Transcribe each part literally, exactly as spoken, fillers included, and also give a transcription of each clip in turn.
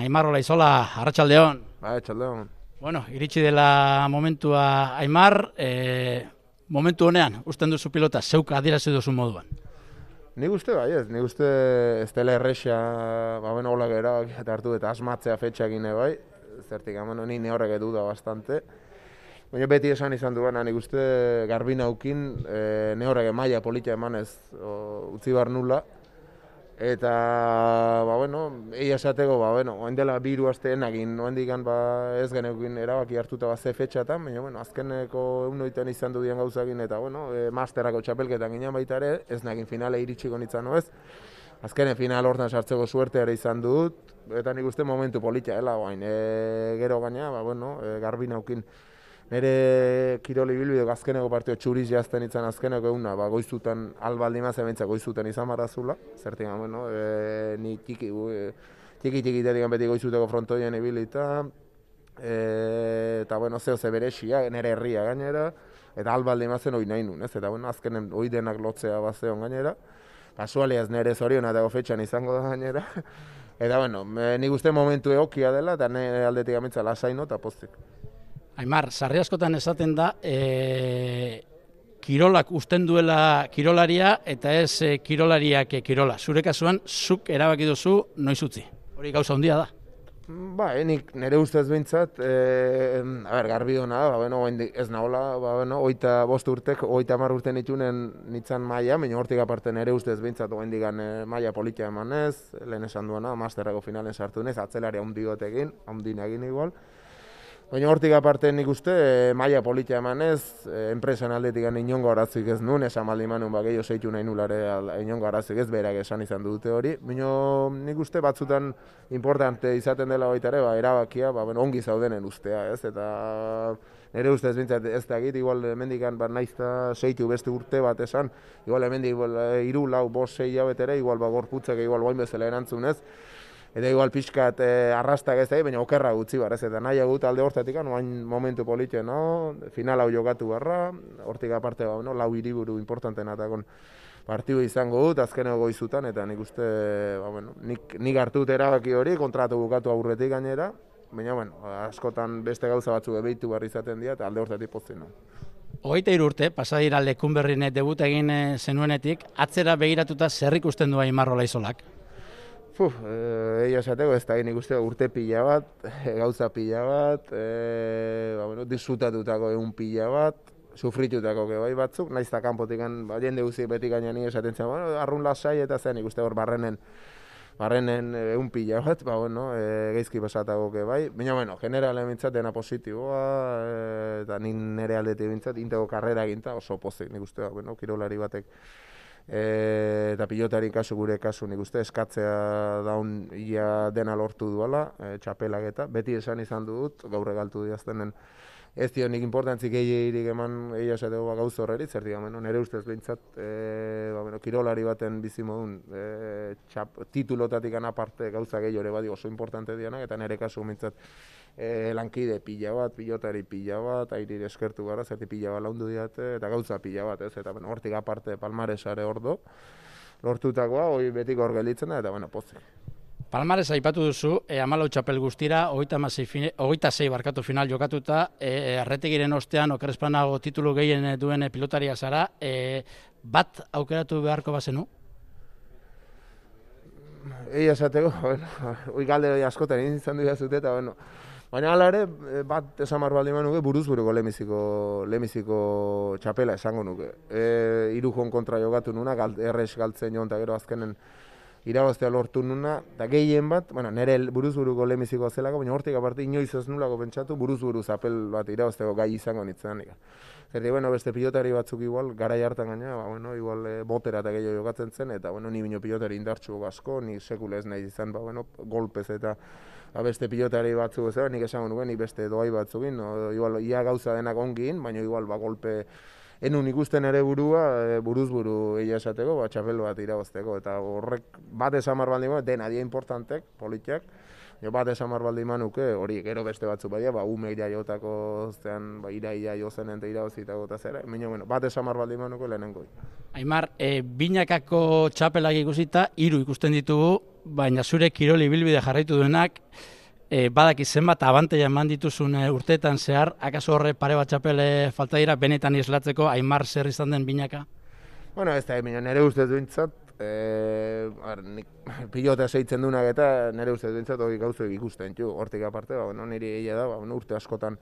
Aimar Olaizola, arratsaldeon. Arratsaldeon. Bueno, iritsi dela momentua Aimar, e, momentu honean, usten duzu pilota, zeuk adierazi duzu moduan. Nik uste bai ez, nik uste ez dela erresa, ba bueno, hola erabakia hartu eta asmatzea fetxakin bai, zertik hemen ni ne horrek duda bastante. Baina beti esan izan duena, nik uste garbi naukin, e, ne horrek maila polita emanez o, utzi bar nula. Eta, ba, bueno, egia esateko, ba, bueno, oen dela biru asteen egin, oen digan, ba, ez geneukin erabaki hartuta ba, ze fetxatan, baina, bueno, azkeneko egunoitan izan du dian gauzagin, eta, bueno, e, masterako txapelketan ginen baita ere, ez nagin finale iritsiko nintzen, no ez? Azkenen final hortan sartzeko suerte ere izan dut, eta nik uste momentu polita, hela, guain, e, gero gaina, ba, bueno, e, garbi naukin. Nere kiroli bilbideko azkeneko partio txuriz jazten izan azkeneko eguna, ba, goizutan albaldi mazea bentsa goizutan izan marrazula, zertik, bueno, e, ni tiki, e, tiki tiki dedikan beti goizuteko frontoien ibilita, e, eta, bueno, zeo ze berexia, nere herria gainera, eta albaldi mazen hori nahi nun, ez, eta, bueno, azkenen hori denak lotzea bazeon gainera, kasualiaz nere zoriona dago fetxan izango da gainera, eta, bueno, nik uste momentu egokia dela, eta nire aldetik amitza lasaino eta pozik. Aimar, sarri askotan esaten da, e, kirolak usten duela kirolaria eta ez e, kirolariak e, kirola. Zure kasuan, zuk erabaki duzu noiz utzi. Hori gauza handia da. Ba, nik nire ustez behintzat, e, a ber, garbi duna da, ba, bueno, ez nahola, ba, bueno, oita bost urtek, oita mar urten itunen nintzen maia, baina hortik aparte nire ustez behintzat oen digan e, maia politia emanez, lehen esan duena, masterrako finalen sartu nez, atzelari haundi gotekin, haundin egin igual. Baina hortik aparte nik uste, e, maila politia emanez, e, enpresan aldetik inongo arazik ez nun, esan maldi manun ba, gehiago zeitu nahi nulare inongo arazik ez, berak esan izan dute hori. Baina nik uste batzutan importante izaten dela baita ere, ba, erabakia, ba, bueno, ongi zaudenen ustea, ez? Eta nire ustez bintzat ez da egit, igual hemendikan ba, naizta zeitu beste urte bat esan, igual hemendik hiru, lau, bost, sei jabetere, igual ba, gorputzak igual guain bezala erantzunez, eta igual pixkat eh, arrastak ez da, baina okerra gutzi bar, ez, eta nahi agut alde hortatik, oain momentu politxe, no? Final hau jokatu barra, hortik aparte, ba, no? Lau hiriburu importanten atakon partidu izango dut, azkeneko goizutan, eta nik uste, ba, bueno, nik, nik hartut erabaki hori, kontratu bukatu aurretik gainera, baina, bueno, askotan beste gauza batzu ebeitu barri izaten dira, eta alde hortatik pozten no. Hogeita hiru urte, pasadira Lekunberrin debut egin zenuenetik, atzera begiratuta zer ikusten du Aimar Olaizolak? Puf, egia esateko ez da nik uste urte pila bat, gauza pila bat, e, ba, bueno, disfrutatutako egun pila bat, sufritutako bai batzuk, naiz eta kanpotikan, ba, jende guzti beti gainean esaten zen, bueno, arrun lasai eta zen nik uste hor barrenen, barrenen egun pila bat, ba, bueno, e, geizki pasatako bai, baina, bueno, generalen bintzat dena positiboa, e, eta nik nire aldetik bintzat, intego karrera eginta oso pozik nik uste, ba, bueno, kirolari batek, E, eta pilotari kasu gure kasu nik uste eskatzea daun ia dena lortu duela, e, txapelak eta beti esan izan dut, gaur egaltu diaztenen ez dio nik importantzik egirik eman egia esateko ba, gauz horreri, zer digamen, nire ustez behintzat, e, ba, bueno, kirolari baten bizi modun e, txap, titulotatik aparte gauza gehiore badi oso importante dianak, eta nire kasu behintzat E, lankide pila bat, pilotari pila bat, airi eskertu gara, zerti pila bat laundu diate, eta gauza pila bat, ez, eta bueno, hortik aparte palmaresare ordo, lortutakoa, hori betik hor gelditzen da, eta bueno, pozik. Palmares aipatu duzu, e, hamalau txapel guztira, hogeita sei barkatu final jokatuta, e, Arretegiren ostean, okerrezpanago titulu gehien duen pilotaria zara, e, bat aukeratu beharko bazenu? Egia esateko, bueno, hoi galde askotan egin izan dira zute, eta bueno, baina hala ere, bat esan marbaldi nuke buruz buruko lemiziko, lemiziko txapela esango nuke. E, Irujon kontra jogatu nuna, galt, errez galtzen joan, eta gero azkenen irabaztea lortu nuna, eta gehien bat, bueno, nire buruz buruko lemizikoa zelako, baina hortik aparte inoiz ez nulako pentsatu, buruz buru zapel bat irabazteko gai izango nintzen. Zerri, bueno, beste pilotari batzuk igual, garai hartan gaina, ba, bueno, igual e, botera eta gehiago jokatzen zen, eta bueno, ni bino pilotari indartsu asko, ni sekule ez nahi izan, ba, bueno, golpez eta ba, beste pilotari batzuk ez, nik esango nuen, nik beste doai batzukin, no, igual, ia gauza denak ongin, baina igual, ba, golpe, enun ikusten ere burua, e, buruz buru egia esateko, ba, txapel bat irabazteko, eta horrek bat esan marbaldi dena dia importantek, politiak, jo bat esan marbaldi manuke, hori gero beste batzu badia, ba, umek jaiotako, zean, ba, iraia jozen ente irabazitako eta zera, baina, bueno, bat esan marbaldi manuke lehenengo. Aimar, e, binakako txapelak ikusita, hiru ikusten ditugu, baina zure kiroli ibilbide jarraitu duenak, e, badaki zenbat abanteia eman dituzun e, urteetan zehar, akaso horre pare bat txapel falta dira, benetan islatzeko, Aimar zer izan den binaka? Bueno, ez da, nire ustez duintzat, e, nik pilota seitzen duenak eta nire ustez duintzat hori gauzuek ikusten, txu, hortik aparte, ba, bueno, niri egia da, ba, bueno, urte askotan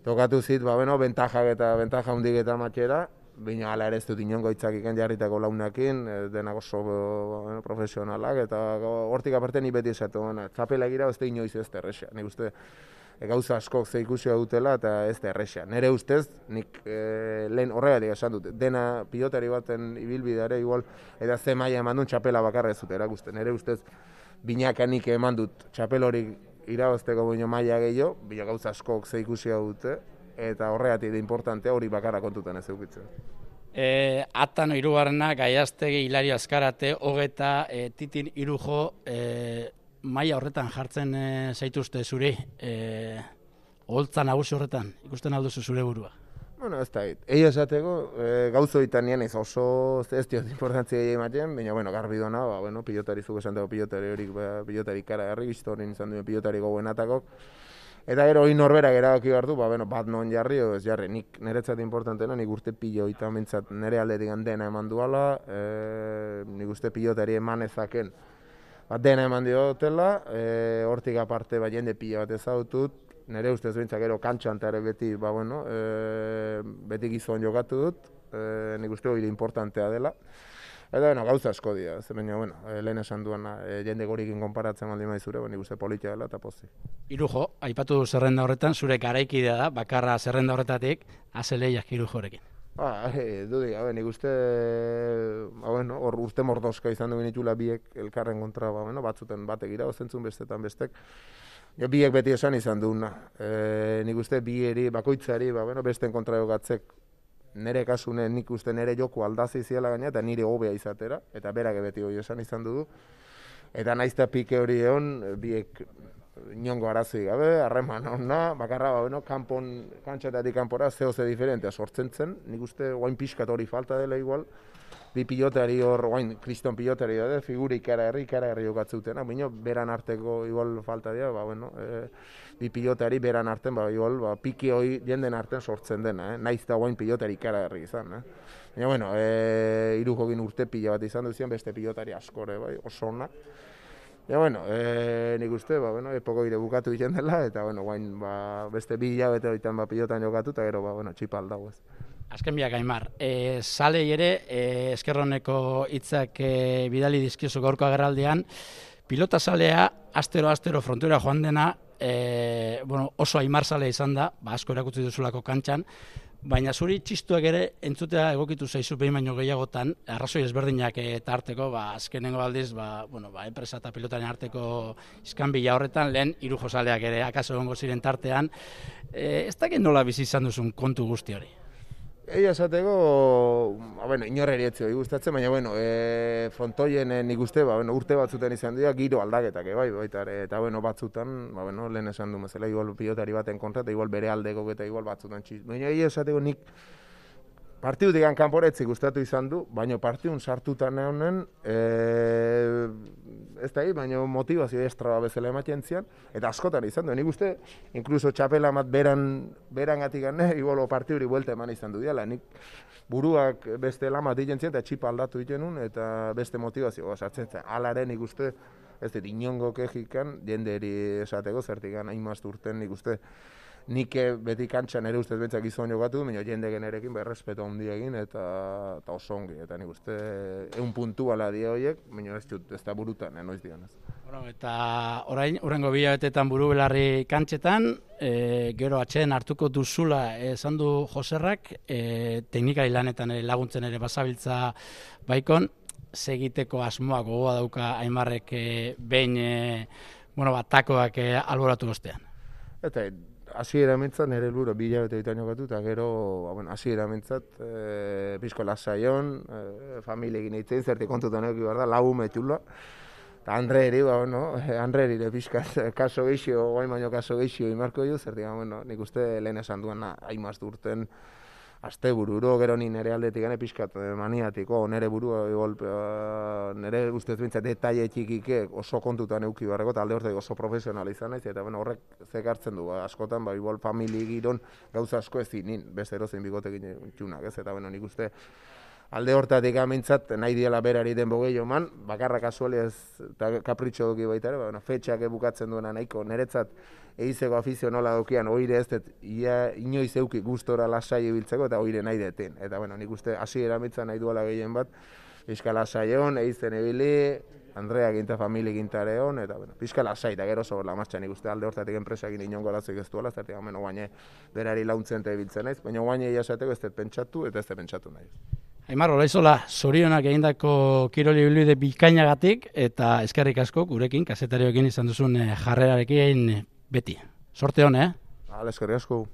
tokatu zit, ba, bueno, bentajak eta bentaja hundik eta matxera, bina ala ere ez dut inongo itzakiken jarritako launakin, denak oso bueno, profesionalak, eta hortik aparte ni beti esatu, bueno, txapela egira ez da inoiz ez da erresa, nik uste e, gauza askok ze ikusia dutela eta ez da erresa. Nere ustez, nik e, lehen horregatik esan dut, dena pilotari baten ibilbideare igual, eta ze maila eman dut txapela bakarra ez dut erakusten. Nere ustez, binakanik eman dut txapel hori irabazteko baino maila gehiago, bila gauza askok ze ikusia dute, eta horregatik da importantea hori bakarra kontutan ez eukitzen. E, Atan hirugarrena, Gaiaztegi, Hilario Azkarate, Hogeta, e, Titin Irujo, e, maila horretan jartzen e, zaituzte zuri, e, oholtza nagusi horretan, ikusten alduzu zure burua? Bueno, ez da, egia esateko, e, gauzoitan nien ez oso ez diot importantzia egin ematen, baina, bueno, garbi dona, ba, bueno, pilotari zuk esan dago pilotari horik, ba, pilotari kara garri, historien izan duen pilotari gogoenatakok, eta gero hori norberak erabaki behar du, ba, bueno, bat non jarri, o ez jarri, nik niretzat importantena, nik urte pilo eta mentzat nire aldetik dena eman duala, e, nik uste pilotari eman ezaken, ba, dena eman diotela, e, hortik aparte, ba, jende pilo bat ezautut, nire ustez bintzak gero kantxan eta ere beti, ba, bueno, e, beti gizon jokatu dut, e, nik uste hori importantea dela. Eta, bueno, gauza asko dira, ze baina, bueno, e, lehen esan duena, e, jende gorikin konparatzen maldi maizure, nik uste politia dela eta pozik. Irujo, aipatu zerrenda horretan, zure garaikidea da, bakarra zerrenda horretatik, azeleiak Irujorekin. Ba, e, dudik, abe, nik uste, ba, bueno, hor urte mordoska izan duen itxula biek elkarren kontra, ba, bueno, batzuten batek irabazentzun bestetan bestek. Jo, biek beti esan izan duguna. E, nik uste bieri, bakoitzari, ba, bueno, besten kontra jogatzek, nire kasunen nik uste nire joko aldazi ziela gaina, eta nire hobea izatera, eta berak beti hori esan izan dugu. Eta naizta pike hori egon, biek inongo arazoi gabe, harreman hona, bakarra, ba, bueno, kanpon, kantxatatik kanpora, zeo ze diferentea sortzen zen, nik uste guain pixkat hori falta dela igual, bi pilotari hor, guain, kriston pilotari da, figuri ikara herri, ikara herri jokatzutena, baina beran arteko igual falta dira, ba, bueno, e, bi pilotari beran arten, ba, igual, ba, piki hori jenden arten sortzen dena, eh? Naiz da guain pilotari ikara herri izan, eh? Baina, bueno, e, Irujokin urte pila bat izan duzien, beste pilotari askore, bai, oso ona. Ja, bueno, e, nik uste, ba, bueno, epoko ire bukatu egiten dela, eta, bueno, guain, ba, beste bi hilabete horietan, ba, pilotan jokatu, eta gero, ba, bueno, txipa aldago ez. Azken biak, Aimar, e, salei ere, e, eskerroneko hitzak e, bidali dizkiozu gaurko agerraldian, pilota salea, astero-astero frontoira joan dena, e, bueno, oso Aimar salea izan da, ba, asko erakutsi duzulako kantxan, baina zuri txistuak ere entzutea egokitu zaizu behin baino gehiagotan, arrazoi ezberdinak eta arteko, ba, azkenengo aldiz, ba, bueno, ba, enpresa eta pilotaren arteko iskanbila horretan, lehen Irujo zaleak ere akaso egongo ziren tartean, e, ez dakit nola bizi izan duzun kontu guzti hori? Egia esateko, ba, bueno, inorreri etzio gustatzen, baina, bueno, e, frontoien e, nik uste, ba, bueno, urte batzutan izan dira, giro aldaketak, e, bai, baita, eta, bueno, batzutan, ba, bueno, lehen esan du mazela, igual pilotari baten kontra, eta igual bere aldeko eta igual batzutan txiz. Baina, egia esateko, nik partidutik kanporetzi gustatu izan du, baina partidun sartutan honen, e, ez da, baina motivazio estra bezala ematen zian, eta askotan izan du. Nik uste, inkluso txapela mat beran, beran gatik gane, igual partiduri buelta eman izan du diala. Nik buruak beste lamat egiten zian, eta txipa aldatu egiten nun, eta beste motivazioa sartzen zen. Alaren nik uste, ez dut, inongo kejikan, jenderi esateko, zertikan hain maztu urten nik uste, nik beti kantxan ere ustez betzak izan jokatu, baina jende generekin berrespeto handia egin eta, eta oso ongi. Eta nik uste egun puntu ala dia horiek, baina ez dut, ez da burutan, enoiz dianez. Bueno, eta orain, urrengo bilabetetan buru belarri kantxetan, e, gero atxeen hartuko duzula esan du Joserrak, e, teknikari lanetan ere laguntzen ere basabiltza baikon, segiteko asmoa gogoa dauka Aimarrek e, behin e, bueno, bat, takoak e, alboratu ostean. Eta hasiera mentzat nire helburu bi hilabete ditan jokatu, eta gero, bueno, hasiera mentzat, e, pixko lasaion, e, familiekin eitzen, zerti kontutan eki behar da, lau ume txula. Eta Andre eri, ba, bueno, Andre eri ere pixka kaso geixio, guain baino kaso geixio imarko jo, zerti, bueno, nik uste lehen esan duena haimaztu urten, aste bururo, gero ni nire aldetik gane pixkat maniatiko, nire burua, igual, nire ustez bintzat detaile txikike oso kontutan euki barreko, eta alde horretik oso profesional izan naiz, eta bueno, horrek zekartzen du, ba, askotan, ba, igual famili giron gauza asko ez zinin, beste erozein bigotekin txunak, ez, eta bueno, nik uste alde hortatik amintzat, nahi diela berari den bogei man, bakarra kasuali ez, eta kapritxo duki baita ere, ba, bueno, fetxak ebukatzen duena nahiko, niretzat eizeko afizio nola dukian, oire ez dut, ia, inoiz euki gustora lasai ibiltzeko, eta oire nahi deten. Eta, bueno, nik uste hasi eramitzen nahi duela gehien bat, pixka lasai hon, eizen ibili, Andrea ginta, famili gintare hon, eta, bueno, pixka lasai, eta gero sobor la martxan, nik uste alde hortatik enpresakin inongo arazoik ez duela, zertik, ameno guaine, berari launtzen eta ibiltzen naiz, baina guaine jasateko ez dut pentsatu, eta ez dut pentsatu nahi. Aimar, Olaizola, zorionak egindako kiroli ibilbide bikainagatik, eta eskerrik asko gurekin, kazetarioekin izan duzun jarrerarekin beti. Sorte hon, eh? Hala, eskerrik asko.